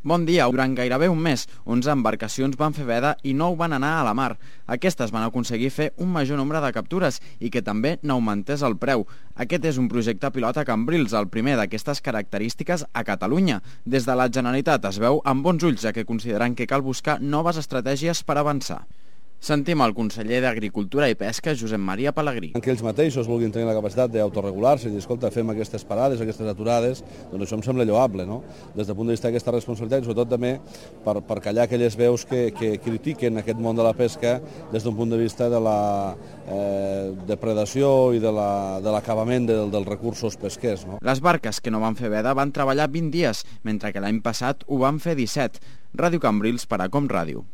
Bon dia. Durant gairebé un mes, 11 embarcacions van fer veda i 9 van anar a la mar. Aquestes van aconseguir fer un major nombre de captures i que també n'augmentés el preu. Aquest és un projecte pilot a Cambrils, el primer d'aquestes característiques a Catalunya. Des de la Generalitat es veu amb bons ulls, ja que consideren que cal buscar noves estratègies per avançar. Sentim el conseller d'Agricultura i Pesca, Josep Maria Pelegrí. Que ells mateixos vulguin tenir la capacitat d'autoregular-se i dir, escolta, fem aquestes parades, aquestes aturades, doncs això em sembla lloable, no? Des del punt de vista d'aquesta responsabilitat, sobretot també per callar aquelles veus que critiquen aquest món de la pesca des d'un punt de vista de la depredació i de l'acabament dels recursos pesquers, no? Les barques que no van fer veda van treballar 20 dies, mentre que l'any passat ho van fer 17. Ràdio Cambrils per a Com Ràdio.